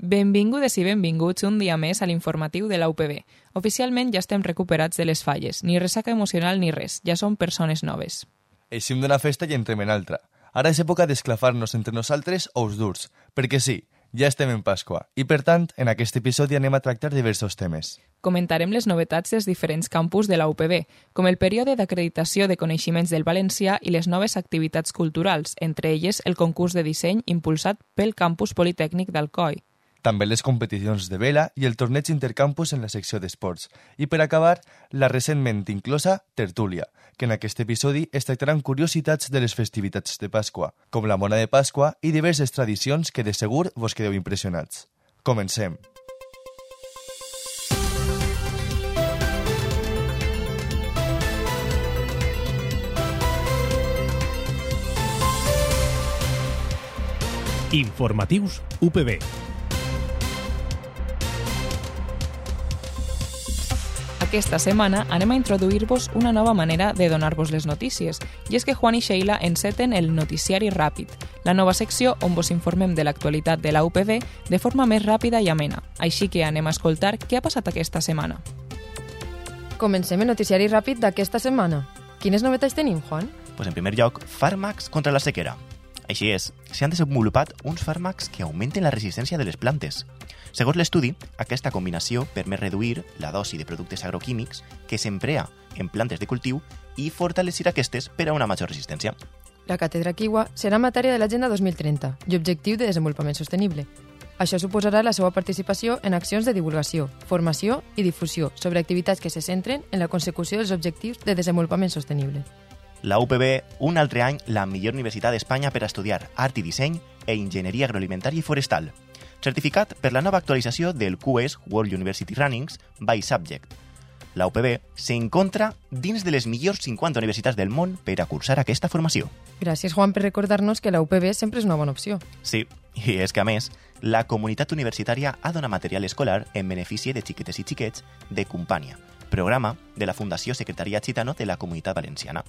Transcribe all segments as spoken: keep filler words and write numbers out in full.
Benvingudes i benvinguts un dia més a l'informatiu de la U P B. Oficialment ja estem recuperats de les falles, ni ressaca emocional ni res, ja som persones noves. Eixim d'una festa i entrem en altra. Ara és època d'esclafar-nos entre nosaltres ous durs, perquè sí, ja estem en Pasqua, i per tant, en aquest episodi anem a tractar diversos temes. Comentarem les novetats dels diferents campus de la U P B, com el període d'acreditació de coneixements del valencià i les noves activitats culturals, entre elles el concurs de disseny impulsat pel Campus Politècnic d'Alcoi. També les competicions de vela i el torneig intercampus en la secció d'esports. I per acabar, la recentment inclosa tertúlia, que en aquest episodi es tractaran curiositats de les festivitats de Pasqua, com la mona de Pasqua i diverses tradicions que de segur vos quedeu impressionats. Comencem! Informatius U P B. Aquesta setmana anem a introduir-vos una nova manera de donar-vos les notícies, i és que Juan i Sheila enceten el Noticiari Ràpid, la nova secció on vos informem de l'actualitat de la U P B de forma més ràpida i amena. Així que anem a escoltar què ha passat aquesta setmana. Comencem el Noticiari Ràpid d'aquesta setmana. Quines novetats tenim, Juan? Pues en primer lloc, fàrmacs contra la sequera. Així és, s'han desenvolupat uns fàrmacs que augmenten la resistència de les plantes. Segons l'estudi, aquesta combinació permet reduir la dosi de productes agroquímics que s'emprea en plantes de cultiu i fortalecir aquestes per a una major resistència. La càtedra Kiwa serà matèria de l'Agenda dos mil trenta i Objectiu de Desenvolupament Sostenible. Això suposarà la seva participació en accions de divulgació, formació i difusió sobre activitats que se centren en la consecució dels objectius de desenvolupament sostenible. La U P B, un altre any, la millor universitat d'Espanya per a estudiar art i disseny e enginyeria agroalimentària i forestal. Certificat per la nova actualització del Q S World University Rankings by Subject. La U P B s'encontra dins de les millors cinquanta universitats del món per a cursar aquesta formació. Gràcies, Juan, per recordar-nos que la U P B sempre és una bona opció. Sí, i és que, a més, la comunitat universitària ha donat material escolar en benefici de xiquetes i xiquets de Compània, programa de la Fundació Secretariat Gitano de la Comunitat Valenciana.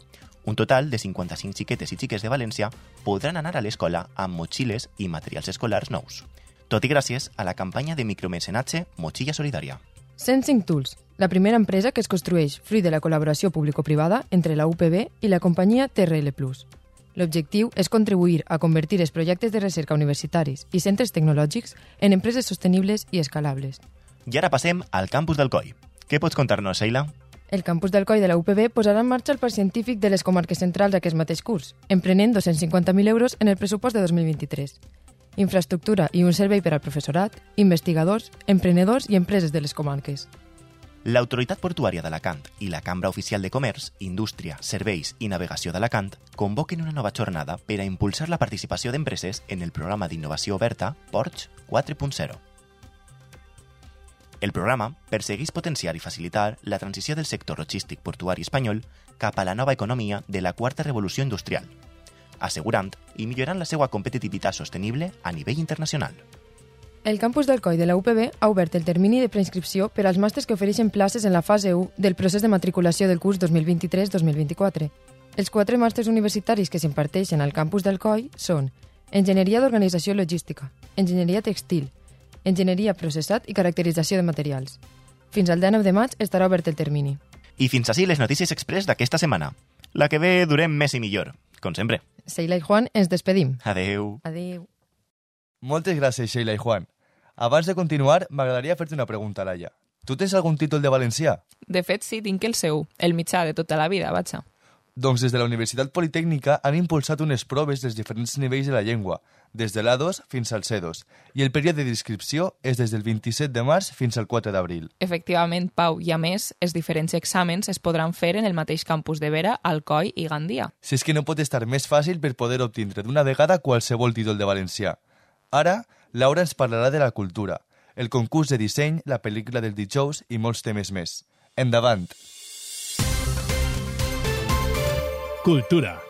Un total de cinquanta-cinc xiquetes i xiques de València podran anar a l'escola amb motxilles i materials escolars nous. Tot i gràcies a la campanya de micromecenatge Motxilla Solidària. cent cinc Tools, la primera empresa que es construeix fruit de la col·laboració público-privada entre la U P B i la companyia T R L plus. L'objectiu és contribuir a convertir els projectes de recerca universitaris i centres tecnològics en empreses sostenibles i escalables. I ara passem al campus d'Alcoi. Què pots contar-nos, Sheila? El campus d'Alcoi de la U P B posarà en marxa el parc científic de les comarques centrals d'aquest mateix curs, emprenent dos-cents cinquanta mil euros en el pressupost de dos mil vint-i-tres. Infraestructura i un servei per al professorat, investigadors, emprenedors i empreses de les comarques. L'Autoritat Portuària d'Alacant i la Cambra Oficial de Comerç, Indústria, Serveis i Navegació d'Alacant convoquen una nova jornada per a impulsar la participació d'empreses en el programa d'innovació oberta Ports quatre punt zero. El programa persegueix potenciar i facilitar la transició del sector logístic portuari espanyol cap a la nova economia de la quarta revolució industrial, assegurant i millorant la seva competitivitat sostenible a nivell internacional. El campus d'Alcoi de la U P B ha obert el termini de preinscripció per als màsters que ofereixen places en la fase u del procés de matriculació del curs dos mil vint-i-tres dos mil vint-i-quatre. Els quatre màsters universitaris que s'imparteixen al campus d'Alcoi són Enginyeria d'Organització Logística, Enginyeria Textil, Enginyeria Processat i Caracterització de Materials. Fins al dinou de maig estarà obert el termini. I fins així les notícies express d'aquesta setmana. La que ve durem més i millor, com sempre. Sheila i Juan, ens despedim. Adeu. Adeu. Moltes gràcies, Sheila i Juan. Abans de continuar, m'agradaria fer-te una pregunta, Laia. Tu tens algun títol de valencià? De fet, sí, tinc el seu, el mitjà de tota la vida, vaja. Doncs des de la Universitat Politècnica han impulsat unes proves dels diferents nivells de la llengua, des de l'A dos fins al C dos, i el període d'inscripció és des del vint-i-set de març fins al quatre d'abril. Efectivament, Pau, i a més, els diferents exàmens es podran fer en el mateix campus de Vera, Alcoi i Gandia. Si és que no pot estar més fàcil per poder obtindre d'una vegada qualsevol títol de valencià. Ara, Laura ens parlarà de la cultura, el concurs de disseny, la pel·lícula del dijous i molts temes més. Endavant! Cultura.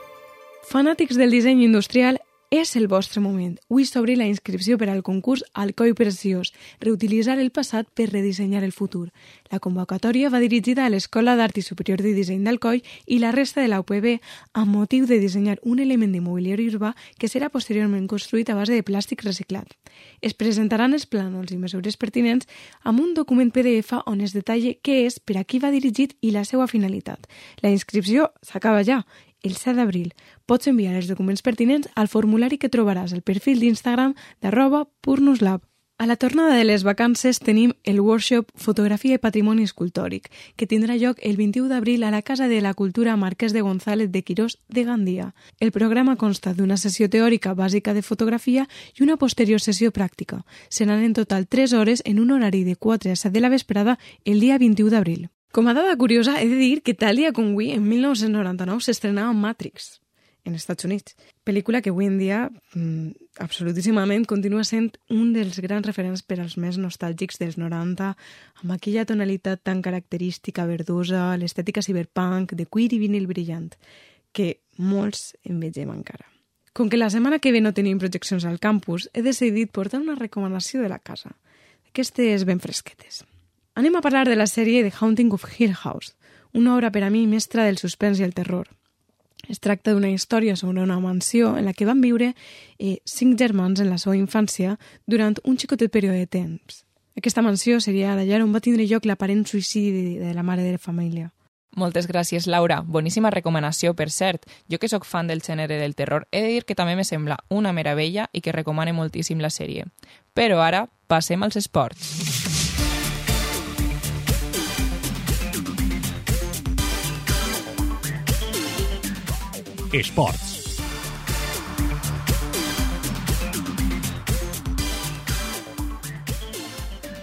Fanàtics del disseny industrial, És el vostre moment. Avui s'obre la inscripció per al concurs Alcoi Preciós, reutilitzar el passat per redissenyar el futur. La convocatòria va dirigida a l'Escola d'Art i Superior de Disseny d'Alcoi i la resta de la U P B amb motiu de dissenyar un element de mobiliari urbà que serà posteriorment construït a base de plàstic reciclat. Es presentaran els plànols i mesures pertinents amb un document P D F on es detalla què és, per a qui va dirigit i la seva finalitat. La inscripció s'acaba ja, el set d'abril. Pots enviar els documents pertinents al formulari que trobaràs al perfil d'Instagram d'arroba Purnuslab. A la tornada de les vacances tenim el workshop Fotografia i Patrimoni Escultòric, que tindrà lloc el vint-i-u d'abril a la Casa de la Cultura Marquès de González de Quirós de Gandia. El programa consta d'una sessió teòrica bàsica de fotografia i una posterior sessió pràctica. Seran en total tres hores en un horari de quatre a set de la vesprada el dia vint-i-u d'abril. Com a dada curiosa, he de dir que tal dia com avui, en mil nou-cents noranta-nou, s'estrenava Matrix, en Estats Units. Pel·lícula que avui en dia, mmm, absolutíssimament, continua sent un dels grans referents per als més nostàlgics dels noranta, amb aquella tonalitat tan característica, verdosa, l'estètica cyberpunk, de cuir i vinil brillant, que molts envegem encara. Com que la setmana que ve no tenim projeccions al campus, he decidit portar una recomanació de la casa, d'aquestes ben fresquetes. Anem a parlar de la sèrie The Haunting of Hill House, una obra per a mi mestra del suspens i el terror. Es tracta d'una història sobre una mansió en la que van viure eh, cinc germans en la seva infància durant un xicotet període de temps. Aquesta mansió seria la llar on va tindre lloc l'aparent suïcidi de la mare de la família. Moltes gràcies, Laura. Boníssima recomanació, per cert. Jo que sóc fan del gènere del terror, he de dir que també me sembla una meravella i que recomane moltíssim la sèrie. Però ara passem als esports. Esports.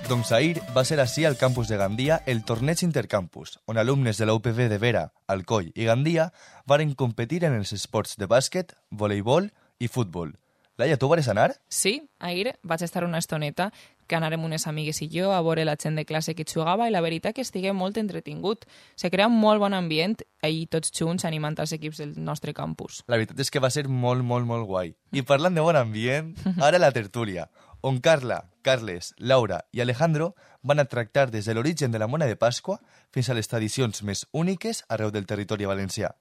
Doncs ahir va ser així al campus de Gandia el torneig intercampus, on alumnes de la U P B de Vera, Alcoi i Gandia varen competir en els esports de bàsquet, voleibol i futbol. Laia, tu vares anar? Sí, ahir vaig estar una estoneta que anàrem unes amigues i jo a veure la gent de classe que jugava i la veritat que estigué molt entretingut. Se crea un molt bon ambient i tots junts animant els equips del nostre campus. La veritat és que va ser molt, molt, molt guai. I parlant de bon ambient, ara la tertúlia, on Carla, Carles, Laura i Alejandro van a tractar des de l'origen de la mona de Pasqua fins a les tradicions més úniques arreu del territori valencià.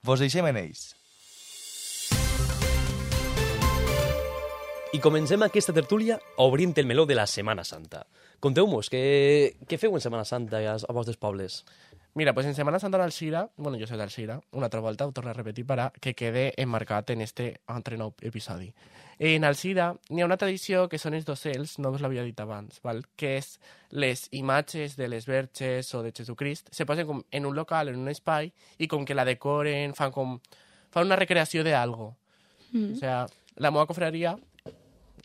Vos deixem en ells. I comencem aquesta tertúlia obrint el meló de la Setmana Santa. Conteu-mos, què, què feu en Setmana Santa a, a vostres pobles? Mira, pues en Semana Santa d'Alzira, bueno, jo soy d'Alzira, una altra volta ho torno a repetir para que quede enmarcat en este altre nou episodi. En Alzira n'hi ha una tradició que són els docels, no us l'havia dit abans, val? Que és les imatges de les verges o de Jesucrist, se posen com en un local, en un espai, i com que la decoren, fan com fan una recreació de algo. Mm. O sea, la meva confraria,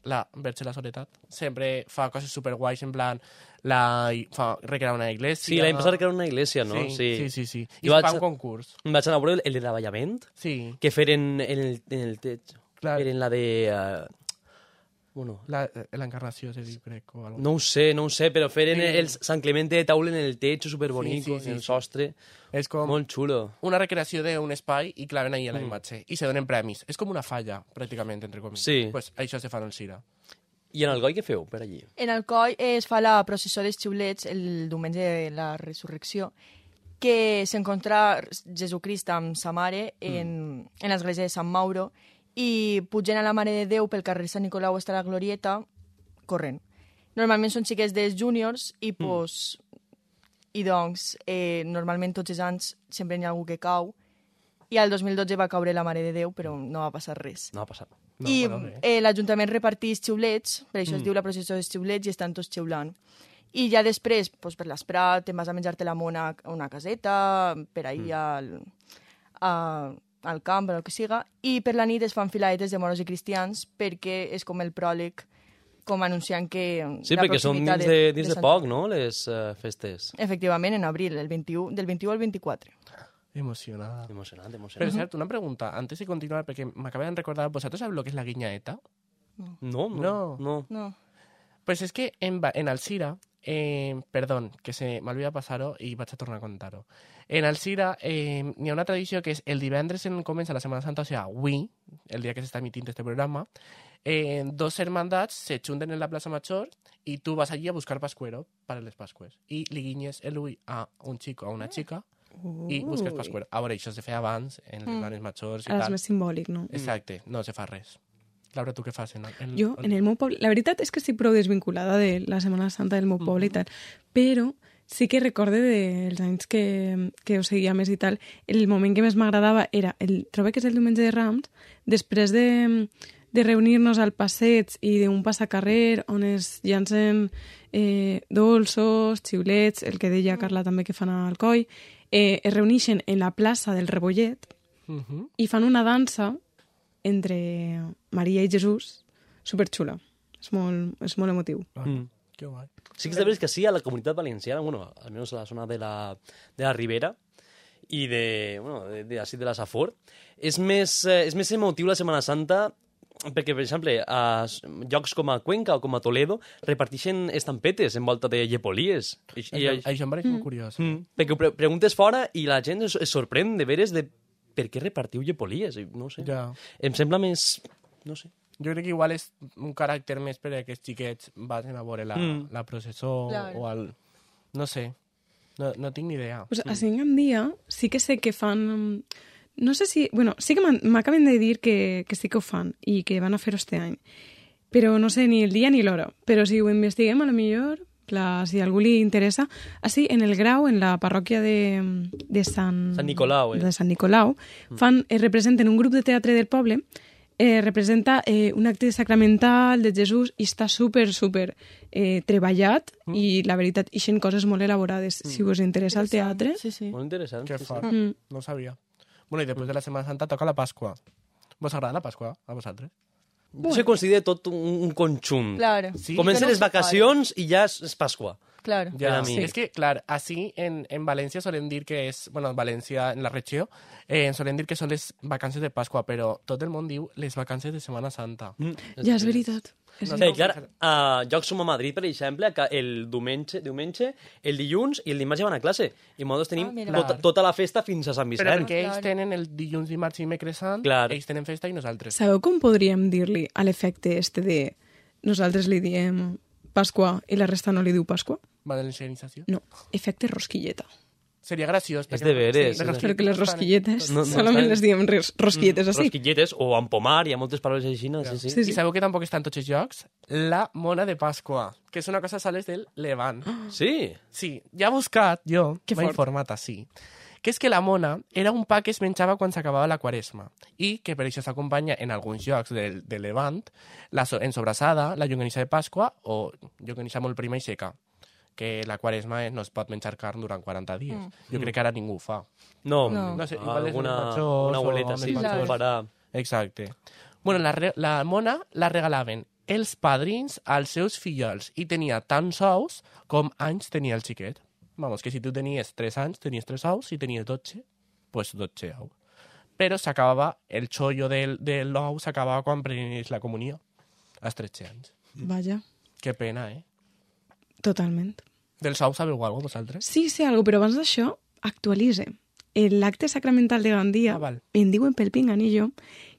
la Verge de la Soledat, sempre fa coses superguais, en plan, la, fa recrear una iglesia. Sí, l'any passat recrear una iglesia, no? Sí, sí, sí. sí. I jo fa vaig, un concurs. Vaig anar a veure el de davallament, sí. que feren en el, en el techo. Clar. Feren la de... Uh, bueno... La, l'encarnació, se diu, crec, o algo. No ho sé, no ho sé, però feren sí. el Sant Clemente de taula en el techo, superbonico, sí, sí, sí, en el sostre. És com molt xulo. Una recreació d'un espai i claven ahí a la mm. imatge. I se donen premis. És com una falla, pràcticament, entre comilles. Sí. Pues això se fa en el Cira. I en Alcoi què feu per allí? En Alcoi es fa la processó dels xiulets el diumenge de la resurrecció, que s'encontra Jesucrist amb sa mare en, mm. en l'església de Sant Mauro i pugen a la Mare de Déu pel carrer Sant Nicolau hasta la Glorieta corrent. Normalment són xiquets dels júniors i, pues, mm. i doncs, eh, normalment tots els anys sempre hi ha algú que cau i el dos mil dotze va caure la Mare de Déu, però no va passar res. No va passar. No, I bueno, eh, l'Ajuntament reparteix xiulets, per això mm. es diu la processó dels xiulets, i estan tots xiulant. I ja després, pues, per l'Esprat, te'n vas a menjar-te la mona a una caseta, per ahir mm. al, a, al camp, o el que siga, i per la nit es fan filaetes de moros i cristians, perquè és com el pròleg, com anunciant que... Sí, perquè són dins de, de, dins de, de poc, no?, les uh, festes. Efectivament, en abril, el vint-i-u, del vint-i-u al vint-i-quatre. Emocionada. Emocionante, emocionante. Pero, cierto, una pregunta, antes de continuar, porque me acabo de recordar, ¿vosotros sabéis lo que es la guiñaeta? No, no, no. no. Pues es que en, en Alzira eh, perdó, que se m'olvida passar-ho i vaig a tornar a contar-ho. En Alzira eh, n'hi ha una tradició que és el divendres en comença la Setmana Santa, o sigui, avui, el dia que s'està emitint este programa, eh, dos hermandats se junten en la plaça Major i tu vas allí a buscar pascuero para les Pascues. I li guinyes el ull a un xico o a una xica i busques pascuero. A veure, això se feia abans, en les planes majors i Ara és tal. més simbòlic, no? Exacte, no se fa res. Laura, tu què fas? En, en, Jo, en el meu poble... La veritat és que estic prou desvinculada de la Setmana Santa del meu poble i tal, però sí que recorde dels anys que, que ho seguia més i tal, el moment que més m'agradava era, el, trobo que és el diumenge de Rams, després de, de reunir-nos al passeig i d'un passacarrer on es llancen eh, dolços, xiulets, el que deia Carla també que fan al coll, eh, es reuneixen en la plaça del Rebollet Uh -huh. i fan una dansa entre Maria i Jesús superxula. És molt, és molt emotiu. Ah, Mm. que guai. Sí que és veritat que sí, a la comunitat valenciana, bueno, almenys a la zona de la, de la Ribera i de, bueno, de, de, així de la Safor, és més, eh, és més emotiu la Setmana Santa perquè, per exemple, a llocs com a Cuenca o com a Toledo reparteixen estampetes envolta de llepolies. I, i, Això, això em pareix molt curiós. Mm, perquè ho pre preguntes fora i la gent es, es sorprèn de veres de per què repartiu llepolies. I no sé. Ja. Em sembla més... no sé. Jo crec que igual és un caràcter més per a aquests xiquets vagin a veure la, Mm. la processó Claro. o el... No sé, no, no tinc ni idea. Pues a Cinc en dia sí que sé que fan... No sé si... Bueno, sí que m'acaben de dir que, que sí que ho fan i que van a fer-ho este any. Però no sé ni el dia ni l'hora. Però si ho investiguem, a lo millor, clar, si a algú li interessa... Així, en el Grau, en la parròquia de, de Sant... Sant Nicolau, eh? De Sant Nicolau, fan, eh, representen un grup de teatre del poble, eh, representa eh, un acte sacramental de Jesús i està super, super eh, treballat Mm. i, la veritat, ixen coses molt elaborades. Si us interessa el teatre... Sí, sí. Molt interessant. Que sí, fort, sí. Mm. no ho sabia. Bueno, i després de la Setmana Santa toca la Pasqua. Vos agrada la Pasqua, a vosaltres? Jo se considera tot un, un conjunt. Claro. Sí. Comencen Que no les se vacacions i ja és, és Pasqua. Claro. Per Ja, a mi. sí. És que, clar, així en, en València solem dir que és... Bueno, València, en la regió, eh, solem dir que són les vacances de Pasqua, però tot el món diu les vacances de Setmana Santa. Mm. Ja, és veritat. És No Sí, veritat. clar, a llocs com a Madrid, per exemple, que el diumenge, diumenge, el dilluns i el dimarts ja van a classe. I nosaltres tenim Ah, mira. tota, tota la festa fins a Sant Però Vicent. perquè ells Clar. tenen el dilluns, dimarts i dimecres sant, Clar. ells tenen festa i nosaltres. Sabeu com podríem dir-li a l'efecte este de nosaltres li diem Pasqua i la resta no li diu Pasqua? Valencianització. No, efecte rosquilleta. Seria graciós. És perquè- de veres, Sí, és de- Perquè les rosquilletes No, no, solament estan- les diem res- rosquilletes així. Rosquilletes o empomar, hi ha moltes paraules així, no? Sí, sí. Sí, I sí. sabeu que tampoc està en tots els llocs? La mona de Pasqua, que és una cosa sales del Levant. Sí. Sí, ja he buscat, jo, Que m'he fort. informat així, que és que la mona era un pa que es menjava quan s'acabava la quaresma i que per això s'acompanya en alguns llocs del, del Levant la so en sobrassada, la llonganissa de Pasqua o llonganissa molt prima i seca, que la quaresma no es pot menjar carn durant quaranta dies. Mm. Jo crec que ara ningú ho fa. No, No. No sé, igual és alguna, els majors una o abueleta, amb sí, els sí, ho majors. farà. Exacte. Bueno, la, re la mona la regalaven els padrins als seus fillols i tenia tants ous com anys tenia el xiquet. Vamos, que si tu tenies tres anys, tenies tres ous, si tenies dotze, pues dotze ous. Però s'acabava, el xollo del, de l'ou s'acabava quan prenies la comunió, als tretze anys. Vaja, Que pena, eh? totalment. Dels ous sabeu alguna cosa, vosaltres? Sí, sé alguna però abans d'això, actualitze. L'acte sacramental de Gandia, Ah, val. em diuen pel Pinganillo,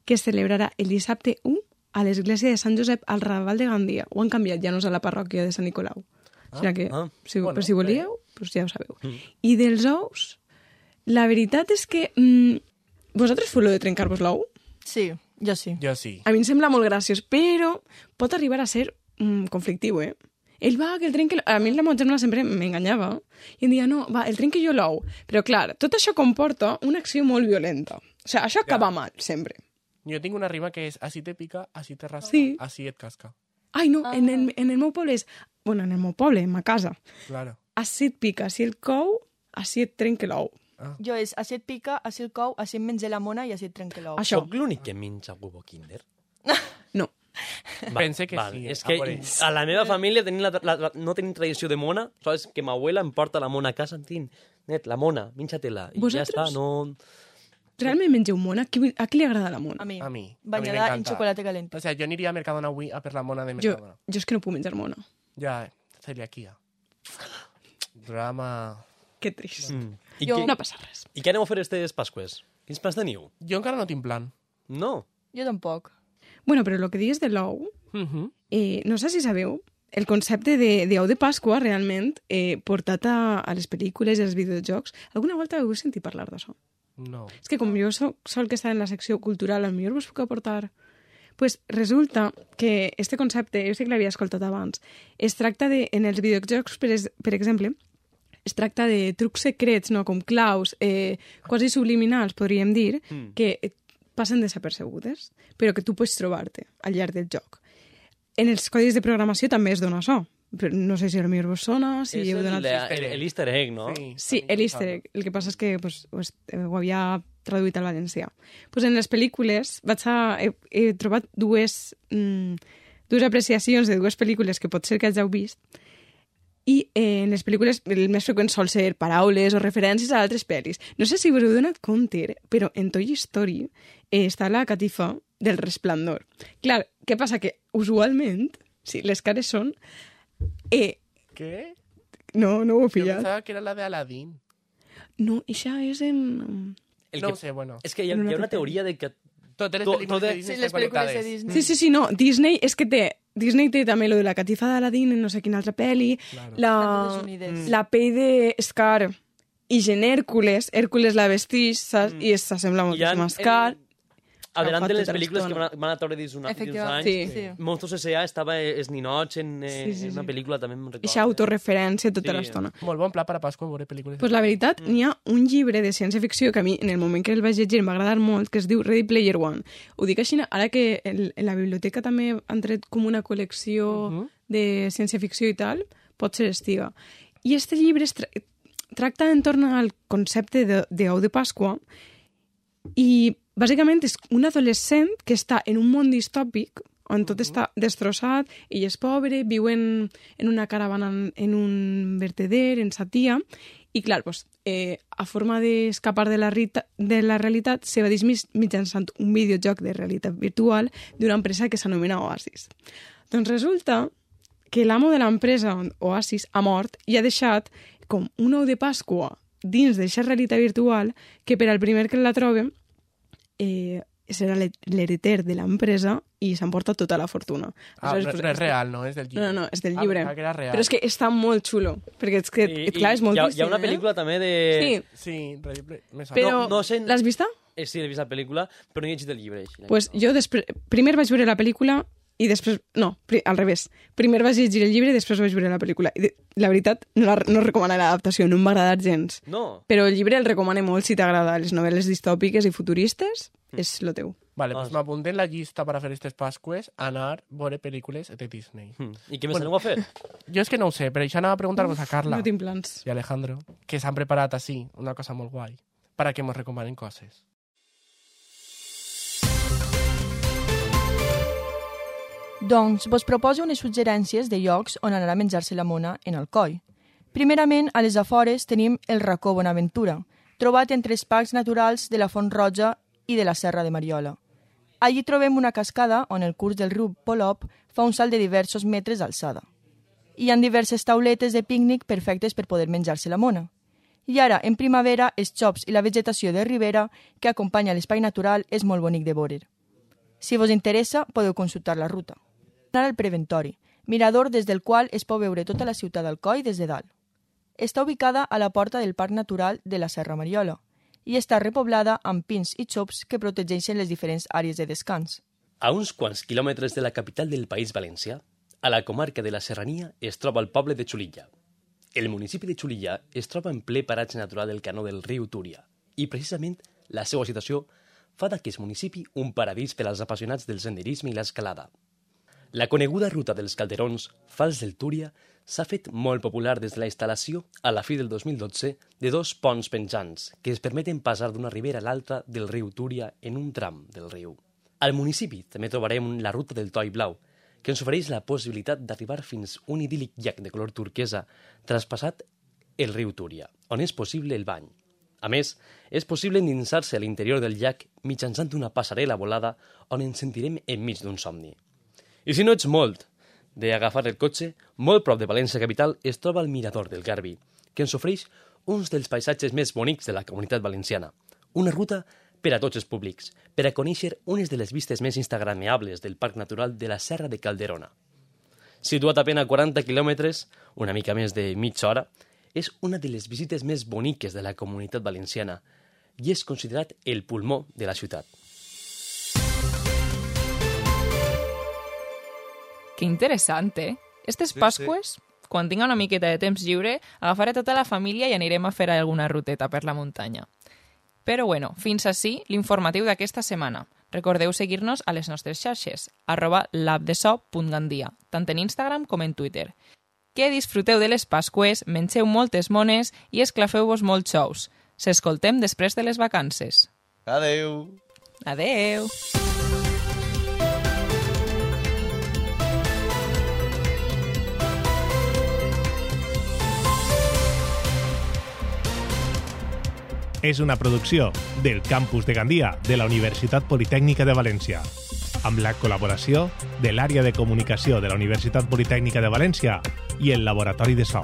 que es celebrarà el dissabte u a l'església de Sant Josep al Raval de Gandia. Ho han canviat, ja no és a la parròquia de Sant Nicolau. Ah, o sigui que, ah. si, Bueno, per si volíeu, bé. doncs ja ho sabeu. Mm. I dels ous, la veritat és que... Mm, vosaltres feu lo de trencar-vos l'ou? Sí, jo sí. Jo sí. A mi em sembla molt graciós, però pot arribar a ser mm, conflictiu, eh? Ell va, que el trenqui... A mi la meva germana sempre m'enganyava i em deia, no, va, el trenqui jo l'ou. Però, clar, tot això comporta una acció molt violenta. O sigui, això acaba mal, sempre. Jo tinc una rima que és així te pica, així te rasca, Sí. així et casca. Ai, no, Ah. en, el, en el meu poble és... Bueno, en el meu poble, en ma casa. Claro. Així et pica, així el cou, així et trenca l'ou. Jo és, així et pica, així el cou, així em menja la mona i així et trenca l'ou. Això, Soc l'únic que menja huevo Kinder? no. Va, Pense que sí, És a que veure. a la meva família tenim la, la, la, no tenim tradició de mona, saps? Que ma abuela em porta la mona a casa, tin, net, la mona, menja-te-la. I ja Vosaltres? està, no... Realment mengeu mona? A qui, a qui li agrada la mona? A mi. A mi. A mi Bañada en m'encanta. chocolate calent. O sea, jo aniria a Mercadona avui a per la mona de Jo, Mercadona. jo és que no puc menjar mona. Ja, celiaquia. Drama... Que trist. Mm. I, Jo- què, No passa res. I què aneu a fer aquestes Pasques? Quins plans teniu? Jo encara no tinc plan. No. Jo tampoc. Bueno, però el que dius de l'ou, Uh -huh. eh, no sé si sabeu, el concepte de, de ou de Pasqua, realment, eh, portat a, a les pel·lícules i als videojocs, alguna volta heu sentit parlar d'això? No. És que com jo soc sol que està en la secció cultural, al millor vos puc aportar. Pues resulta que este concepte, jo sé que l'havia escoltat abans, es tracta de, en els videojocs, per, es, per exemple, es tracta de trucs secrets, no? Com claus, eh, quasi subliminals, podríem dir, Mm. que eh, passen desapercebudes, però que tu pots trobar-te al llarg del joc. En els codis de programació també es dona això, però no sé si el millor vos sona, si és heu el, donat... el, el easter egg, no? Sí, el easter egg. El que passa és que pues, ho, est- ho havia traduït al valencià. Pues en les pel·lícules vaig a, he, he trobat dues, mm, dues apreciacions de dues pel·lícules que pot ser que hàgiu vist, i eh, en les pel·lícules el més freqüent sol ser paraules o referències a altres pel·lis. No sé si us heu donat compte, però en Toy Story eh, està la catifa del Resplendor. Clar, què passa? Que usualment, sí, les cares són... Eh, Què? no, no ho he Jo pillat. pensava que era la de Aladdin. No, això és en... El No que, ho sé, bueno. És que hi ha, En una hi ha una altra teoria de que... Totes les To- pel·lícules totes- de Disney Sí, les estan pel·lícules de connectades. Disney. Sí, sí, sí, no. Disney és que té... Disney té també lo de la catifa d'Aladín en no sé quina altra pel·li. Claro. La, Nacions Unides. la pell de Scar i gent Hèrcules. Hèrcules la vestix, saps? I s'assembla Hi ha, moltíssim a Scar. adelante Agafat les tota pel·lícules que l'estona. van a, van a treure dins, una, dins uns Efectivament. anys. Sí. Sí. Monstruos S A estava es ninots en, eh, Sí, sí, en una sí. pel·lícula, també me'n recordo. Eixa autorreferència tota Sí. l'estona. Molt bon pla per a Pasqua veure pel·lícules. Pues la veritat, n'hi ha un llibre de ciència-ficció que a mi, en el moment que el vaig llegir, em va agradar molt, que es diu Ready Player One. Ho dic així, ara que en, en la biblioteca també han tret com una col·lecció uh -huh. de ciència-ficció i tal, pot ser estiga. I este llibre es tra tracta entorn al concepte de, de ou de Pasqua i bàsicament és un adolescent que està en un món distòpic on tot està destrossat, ell és pobre, viu en, en una caravana en, en un verteder, en Satia, i clar, pues, eh, a forma d'escapar de, la rita, de la realitat se va dismís mitjançant un videojoc de realitat virtual d'una empresa que s'anomena Oasis. Doncs resulta que l'amo de l'empresa Oasis ha mort i ha deixat com un ou de Pasqua dins d'aquesta realitat virtual que per al primer que la trobe eh, serà l'heriter de l'empresa i s'emporta tota la fortuna. Ah, Aleshores, no, pues, no és real, no? És del llibre. No, no, no, és del Ah, llibre. pensava que era real. Però és que està molt xulo, perquè és que, I, clar, és molt hi ha, trist, hi ha una eh? pel·lícula també de... Sí, Sí, Ready Play- me sona. però No- no sé- l'has vista? Eh, sí, he vist la pel·lícula, però no he llegit el llibre. Així, Pues jo després, primer vaig veure la pel·lícula i després, no, pri, al revés. Primer vaig llegir el llibre i després vaig veure la pel·lícula. I de, la veritat, no, la, no recomano l'adaptació, no em va agradar gens. No. Però el llibre el recomano molt si t'agrada les novel·les distòpiques i futuristes, és lo teu. Vale, Ah, doncs sí. m'apunté en la llista per a fer aquestes Pasques anar a veure pel·lícules de Disney. Mm. I què més Bueno. aneu a fer? Jo és que no ho sé, però això anava a preguntar-vos a Carla No tinc plans. i Alejandro, que s'han preparat així, una cosa molt guai, per a que ens recomanen coses. Doncs vos proposo unes suggerències de llocs on anar a menjar-se la mona en Alcoi. Primerament, a les afores tenim el racó Bonaventura, trobat entre els parcs naturals de la Font Roja i de la Serra de Mariola. Allí trobem una cascada on el curs del riu Polop fa un salt de diversos metres d'alçada. Hi ha diverses tauletes de pícnic perfectes per poder menjar-se la mona. I ara, en primavera, els xops i la vegetació de ribera que acompanya l'espai natural és molt bonic de veure. Si vos interessa, podeu consultar la ruta. Anar al Preventori, mirador des del qual es pot veure tota la ciutat d'Alcoi des de dalt. Està ubicada a la porta del Parc Natural de la Serra Mariola i està repoblada amb pins i xops que protegeixen les diferents àrees de descans. A uns quants quilòmetres de la capital del País Valencià, a la comarca de la Serrania, es troba el poble de Xulilla. El municipi de Xulilla es troba en ple paratge natural del canó del riu Túria i, precisament, la seva situació fa d'aquest municipi un paradís per als apassionats del senderisme i l'escalada. La coneguda ruta dels Calderons, Fals del Túria, s'ha fet molt popular des de la instal·lació, a la fi del dos mil dotze, de dos ponts penjants que es permeten passar d'una ribera a l'altra del riu Túria en un tram del riu. Al municipi també trobarem la ruta del Toi Blau, que ens ofereix la possibilitat d'arribar fins un idíl·lic llac de color turquesa traspassat el riu Túria, on és possible el bany. A més, és possible endinsar-se a l'interior del llac mitjançant una passarel·la volada on ens sentirem enmig d'un somni. I si no ets molt d'agafar el cotxe, molt prop de València capital es troba el Mirador del Garbi, que ens ofereix uns dels paisatges més bonics de la Comunitat Valenciana. Una ruta per a tots els públics, per a conèixer unes de les vistes més instagrameables del Parc Natural de la Serra de Calderona. Situat a pena quaranta quilòmetres, una mica més de mitja hora, és una de les visites més boniques de la Comunitat Valenciana i és considerat el pulmó de la ciutat. Que interessant, eh? Estes Pasqües, quan tinga una miqueta de temps lliure, agafaré tota la família i anirem a fer alguna ruteta per la muntanya. Però bueno, fins ací l'informatiu d'aquesta setmana. Recordeu seguir-nos a les nostres xarxes, arroba labdeso.gandia, tant en Instagram com en Twitter. Que disfruteu de les Pasqües, mengeu moltes mones i esclafeu-vos molts xous. S'escoltem després de les vacances. Adeu! Adeu! És una producció del Campus de Gandia de la Universitat Politècnica de València, amb la col·laboració de l'Àrea de Comunicació de la Universitat Politècnica de València i el Laboratori de So.